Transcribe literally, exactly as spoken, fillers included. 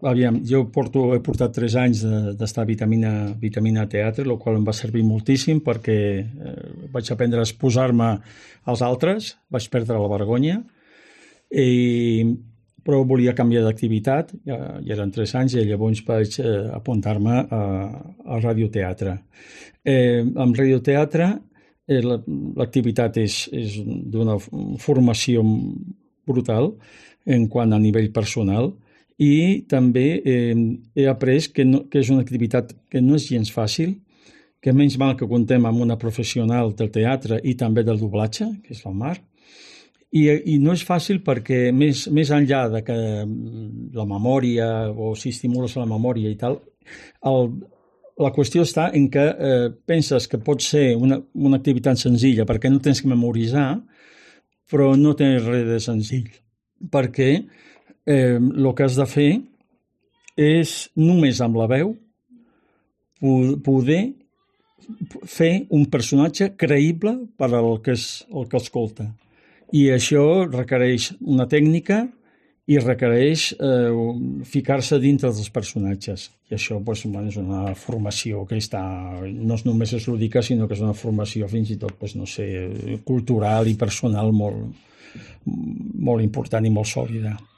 Aviam, jo porto, he portat tres anys de- d'estar a Vitamina, Vitamina Teatre, el qual em va servir moltíssim perquè eh, vaig aprendre a exposar-me als altres, vaig perdre la vergonya, i, però volia canviar d'activitat, ja, ja eren tres anys, i llavors vaig eh, apuntar-me a, a radioteatre. Eh, amb radioteatre eh, la- l'activitat és, és d'una formació brutal en quant a nivell personal, i també eh, he après que, no, que és una activitat que no és gens fàcil, que menys mal que contem amb una professional del teatre i també del doblatge, que és la Mar, i, i no és fàcil perquè més, més enllà de que la memòria, o si estimules la memòria i tal, el, la qüestió està en que eh, penses que pot ser una, una activitat senzilla perquè no tens que memoritzar, però no té res de senzill, perquè eh, el que has de fer és només amb la veu poder fer un personatge creïble per al que, és, el que escolta. I això requereix una tècnica i requereix eh, ficar-se dintre dels personatges. I això doncs, bueno, és una formació que està, no és només és lúdica, sinó que és una formació fins i tot, doncs, no sé, cultural i personal molt, molt important i molt sòlida.